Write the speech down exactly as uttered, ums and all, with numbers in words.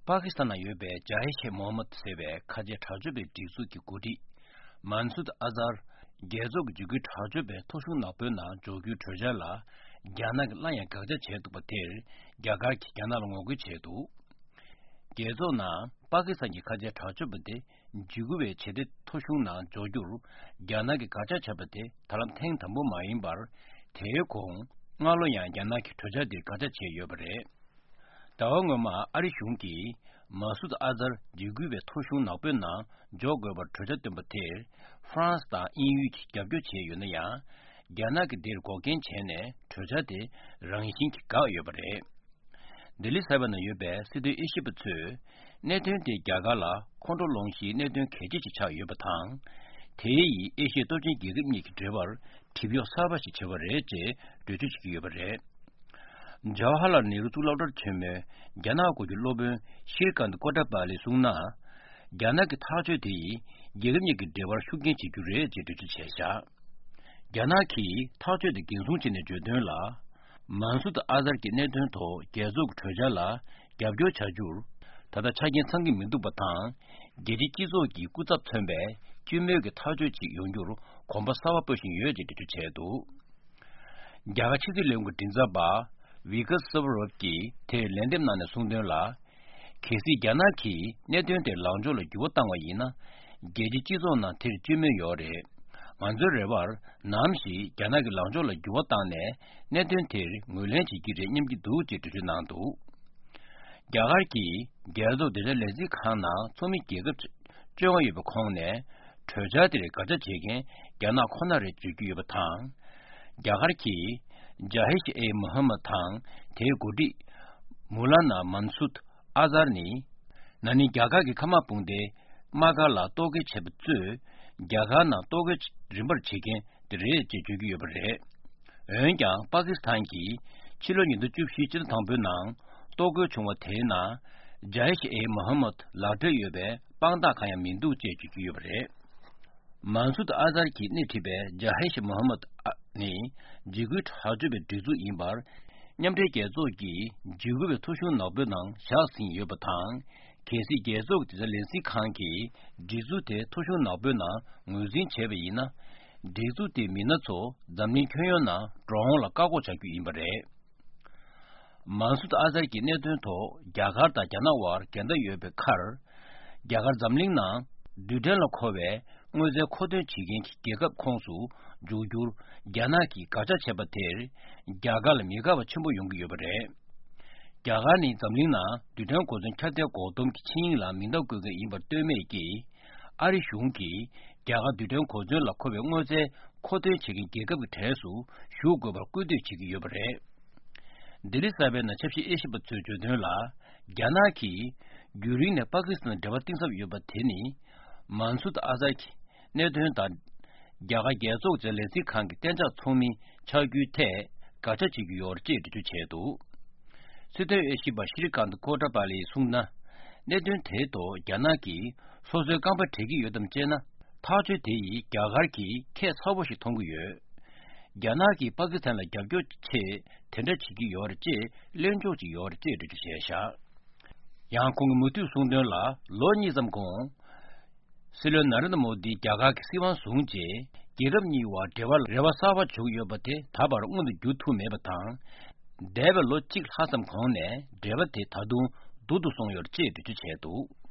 པ་ཀི་སི་ཐན་ནང་ཡོད་པའི་ཇཱ་ཧེ་ཤེ་མོ་ཧམ་མད་ཟེར་བའི་ཁ་ཆེ་དྲག་སྤྱོད་པའི་སྒྲིག་འཛུགས་ཀྱི་འགོ་ཁྲིད་མན་སུད་ཨ་ཛར། རྒྱལ་ཚོགས་ཀྱི་འཇིགས་སྐུལ་དྲག་སྤྱོད་པའི་ཐོ་གཞུང་ནག་པོའི་ནང་འཇོག་རྒྱུའི་གྲོས་འཆར་ལ་རྒྱ་ནག་གིས་སླར་ཡང་དགག་བྱ་བྱས་འདུག་པ་དེར། རྒྱ་གར་གྱིས་རྒྱ་ནག་ལ་ངོ་རྒོལ་བྱས་འདུག། རྒྱལ་ཚོགས་ནང་པ་ཀི་སི་ཐན་གྱི་ཁ་ཆེ་དྲག་སྤྱོད་པ་དེ་འཇིགས་སྐུལ་བའི་བྱེད་གཏེ་ཐོ་གཞུང་ནང་འཇོག་རྒྱུར་རྒྱ་ནག་གིས་དགག་བྱ་བྱས་པ་དེ་ད་ལམ་ཐེངས་དང་པོ་མ་ཡིན་པར། དེའི་གོང་སྔ་ལོ་ཡང་རྒྱ་ནག་གིས་གྲོས་འཆར་དེར་དགག་བྱ་བྱས་ཡོད་པ་རེད། ཟླ་བ་སྔོན་མ་ཨ་རི་གཞུང་གིས་མ་སུད་ཨ་ཛར་འཇིགས་སྐུལ་བའི་ཐོ་གཞུང་ནག་པོའི་ནང་འཇོག་དགོས་པར་གྲོས་འཆར་བཏོན་པ་དེར་ཧྥ་རན་སི་དང་དབྱིན་ཡུལ་གྱིས་རྒྱབ་སྐྱོར་བྱས་ཡོད་ན་ཡང་། རྒྱ་ནག་གིས་འདིར་འགོག་རྐྱེན་བྱས་ནས་གྲོས་འཆར་དེ་རང་བཞིན་གྱིས་འགག་ཡོད་པ་རེད། ལྡི་ལི་གསར་པ་ནང་ཡོད་པའི་སྲིད་དོན་དབྱེ་ཞིབ་པ་ཚོས་གནད་དོན་དེ་རྒྱ་གར་ལ་ཁོང་ཁྲོ་སློང་གཞིའི་གནད་དོན་གལ་ཆེ་ཞིག་ཆགས་ཡོད་པ་དང་། དེ་ཡིས་ཨེ་ཤི་ཡའི་སྟོབས་ཆེན་རྒྱལ་ཁབ་གཉིས་ཀྱི་འབྲེལ་བར་གྲིབ་གཡོག་གསར་པ་ཞིག་བྱས་པ་རེད་ཅེས་འགྲེལ་བརྗོད་བྱེད་ཀྱི་ཡོད་པ་རེད། ཇ་ཝ་ཧར་ལཱལ་ནེ་རུ་གཙུག་ལག་སློབ་གྲྭར་བྱོན་མོད་རྒྱ་ནག་སྐོར་གྱི་སློབ་དཔོན་ཤྲི་ཀཱནྟ་ཀོ་ཏྲ་པཱ་ལིས་གསུངས་ན། རྒྱ་ནག་གི་ཐག་གཅོད་དེ་ཡིས་རྒྱལ་ཁབ་གཉིས་ཀྱི་འབྲེལ་བར་ཤུགས་རྐྱེན་བྱེད་རྒྱུ་རེད་ཅེས་འགྲེལ་བརྗོད་བྱས་བཞག། རྒྱ་ནག་གིས་ཐག་གཅོད་དེ་འགན་སྲུང་བྱས་ནས་བརྗོད་དོན་ལ། མན་སུད་ཨ་ཛར་གྱི་གནད་དོན་ཐོག་རྒྱལ་ཚོགས་ཀྱི་གྲོས་འཆར་ལ་རྒྱབ་སྐྱོར་བྱ་རྒྱུར། ད་ལྟ་ཆ་རྐྱེན་ཚང་གི་མི་འདུག་པ་དང་། རྒྱལ་སྤྱིའི་སྤྱི་ཚོགས་ཀྱི་སྐུ་ཚབ་མཚོན་པའི་སྤྱི་མོས་ཀྱི་ཐག་གཅོད་ཅིག་ཡོང་རྒྱུར་གོམ་པ་གསར་པ་སྤོ་བཞིན་ཡོད་ཅེས་འགྲེལ་བརྗོད་བྱས་འདུག། རྒྱ་གར་ཕྱི་སྲིད་བློན་ཁང་མགྲིན་ཚབ་པ་ཝི་ཀར་སེ་བྷ་རོབ་ཀྱིས་དེར་ལན་འདེབས་གནང་ནས་གསུངས་དོན་ལ། གལ་སྲིད་རྒྱ་ནག་གིས་གནད་དོན་དེར་ལངས་ཕྱོགས་ལ་འགྱུར་བ་བཏང་བ་ཡིན་ན། རྒྱལ་སྤྱིའི་སྤྱི་ཚོགས་ནང་དེར་སྤྱི་མོས་ཡོད་རེད། ང་ཚོའི་རེ་བར་ནམ་ཞིག་རྒྱ་ནག་གི་ལངས་ཕྱོགས་ལ་འགྱུར་བ་བཏང་ནས་གནད་དོན་དེར་ངོས་ལེན་བྱེད་ཀྱི་རེད་སྙམ་གྱི་འདུག་ཅེས་འགྲེལ་བརྗོད་གནང་འདུག། རྒྱ་གར་གྱིས་རྒྱལ་ཚོགས་བདེ་འཇགས་ལས་འཛིན་ཁང་ནང་ཚོགས་མི་རྒྱལ་ཁབ་བཅོ་ལྔ་ཡོད་པའི་ཁོངས་ནས་གྲོས་འཆར་དེར་དགག་བྱ་བྱེད་མཁན་རྒྱ་ནག་ཁོ་ན་རེད་བརྗོད་ཀྱི་ཡོད་པ་དང་། རྒྱ་གར་གྱིས་ཇཱ་ཧེ་ཤ་ཨེ་མོ་ཧམ་མད་དང་དེའི་འགོ་ཁྲིད་མུ་ལ་ན་མན་སུད་ཨ་ཛར་ནི། ན་ནིང་རྒྱ་གར་གྱི་མཁའ་དམག་དཔུང་སྡེ་དམག་སྒར་ལ་གཏོར་རྒོལ་བྱས་པ་གཙོས་རྒྱ་གར་ནང་གཏོར་རྒོལ་རིམ་པར་བྱེད་མཁན་དེ་རེད་ཅེས་བརྗོད་ཀྱི་ཡོད་པ་རེད། འོན་ཀྱང་པ་ཀི་སི་ཐན་གྱིས་ཕྱི་ལོ་ཉིས་སྟོང་བཅུ་བཞི་སྤྱི་ཟླ་དང་པོའི་ནང་གཏོར་རྒོལ་བྱུང་བ་དེའི་ནང་ཇཱ་ཧེ་ཤ་ཨེ་མོ་ཧམ་མད་ལག་འབྲེལ་ཡོད་པའི་དཔང་རྟགས་གང་ཡང་མི་འདུག་ཅེས་བརྗོད་ཀྱི་ཡོད་པ་རེད། མན་སུད་ཨ་ཛར་གྱིས་སྣེ་ཁྲིད་པའི་ཇཱ་ཧེ་ཤ་མོ་ཧམ་མད་ནི་འཇིགས་སྐུལ་དྲག་སྤྱོད་པའི་སྒྲིག་འཛུགས་ཡིན་པར། མཉམ་འབྲེལ་རྒྱལ་ཚོགས་ཀྱིས་འཇིགས་སྐུལ་བའི་ཐོ་གཞུང་ནག་པོའི་ནང་བཞག་ཟིན་ཡོད་པ་དང་། གལ་སྲིད་རྒྱལ་ཚོགས་ཀྱི་ལས་འཛིན་ཁང་གིས་སྒྲིག་འཛུགས་དེ་ཐོ་གཞུང་ནག་པོའི་ནང་ངོས་འཛིན་བྱས་པ་ཡིན་ན། སྒྲིག་འཛུགས་དེའི་མི་སྣ་ཚོ་འཛམ་གླིང་ཁྱོན་ཡོངས་ནང་འགྲོ་འོང་ལ་བཀག་འགོག་བྱ་རྒྱུ་ཡིན་པ་རེད། མན་སུད་ཨ་ཛར་གྱི་གནད་དོན་ཐོག་རྒྱ་གར་དང་རྒྱ་ནག་དབར་འགལ་ཟླ་ཡོད་པའི་ཁར། རྒྱ་གར་འཛམ་གླིང་ནང་རྡུལ་ཕྲན་ལ་མཁོ་བའི་དངོས་རྫས་མཁོ་འདོན་བྱེད་མཁན་གྱི་རྒྱལ་ཁབ་ཁོངས་སུ་འཇུག་རྒྱུར་རྒྱ་ནག་གིས་དགག་བྱ་བྱས་པ་དེར། རྒྱ་གར་ལ་མི་དགའ་བ་ཆེན་པོ་ཡོང་གི་ཡོད་པ་རེད། རྒྱ་གར་ནི་འཛམ་གླིང་ནང་རྡུལ་ཕྲན་གོ་མཚོན་ཁྱབ་གདལ་འགོག་སྡོམ་གྱི་ཆིངས་ཡིག་ལ་མིང་རྟགས་བཀོད་མཁན་ཡིན་པར་ལྟོས་མེད་ཀྱིས། ཨ་རི་གཞུང་གིས་རྒྱ་གར་རྡུལ་ཕྲན་གོ་མཚོན་ལ་མཁོ་བའི་དངོས་རྫས་མཁོ་འདོན་བྱེད་མཁན་རྒྱལ་ཁབ་ཀྱི་གྲས་སུ་ཞུགས་དགོས་པར་སྐུལ་འདེད་བྱེད་ཀྱི་ཡོད་པ་རེད། ལྡི་ལི་གསར་པའི་ནང་ཆབ་སྲིད་དབྱེ་ཞིབ་པ་ཚོས་བརྗོད་དོན་ལ། རྒྱ་ནག་གིས་རྒྱུན་རིང་ནས་པ་ཀི་སི་ཐན་དང་འབྲེལ་བ་གཏིང་ཟབ་ཡོད་པ་དེ་ནི། མན་སུད་ཨ་ཛར་གྱི་གནད་དོན་དང་། རྒྱ་གར་རྒྱལ་ཚོགས་ཀྱི་ལས་འཛིན་ཁང་གི་གཏན་འཇགས་ཚོགས་མི་ཆགས་རྒྱུའི་ཐད་དགག་བྱ་བྱེད་ཀྱི་ཡོད་ཅེས་འགྲེལ་བརྗོད་བྱས་འདུག། སྲིད་དོན་དབྱེ་ཞིབ་པ་ཤྲི་ཀཱནྟ་ཀོ་ཏྲ་པཱ་ལིས་གསུངས་ན། གནད་དོན་དེའི་ཐོག་རྒྱ་ནག་གིས་སོ་སོའི་རྐང་པ་བྲེག་གི་ཡོད་དམ་ཅེ་ན། ཐག་གཅོད་དེ་ཡིས་རྒྱ་གར་གྱིས་ཁྱད་མཚར་པོ་ཞིག་མཐོང་གི་ཡོད། རྒྱ་ནག་གིས་པ་ཀི་སི་ཐན་ལ་རྒྱབ་སྐྱོར་ཆེད་དེ་འདྲ་བྱེད་ཀྱི་ཡོད་རེད་ཅེས་གླེང་ཕྱོགས་ཅིག་ཡོད་རེད་ཅེས་འགྲེལ་བརྗོད་བྱས་བཞག། ཡང་ཁོང་གིས་མུ་མཐུད་གསུངས་དོན་ལ། ལོ་གཉིས་ཙམ་གོང་། སྲིད་བློན་ན་རེན་དྲ་མོ་དི་རྒྱ་གར་གྱི་སྲིད་དབང་བཟུང་རྗེས། རྒྱལ་ཁབ་གཉིས་བར་འབྲེལ་བར་རེ་བ་གསར་པ་བྱུང་ཡོད་པ་དེ་ད་བར་མངོན་དུ་འགྱུར་ཐུབ་མེད་པ་དང་། འདས་པའི་ལོ་གཅིག་ལྷག་ཙམ་གོང་ནས་འབྲེལ་བ་དེ་ད་དུང་སྡུག་ཏུ་སོང་ཡོད་ཅེས་འགྲེལ་བརྗོད་བྱས་འདུག།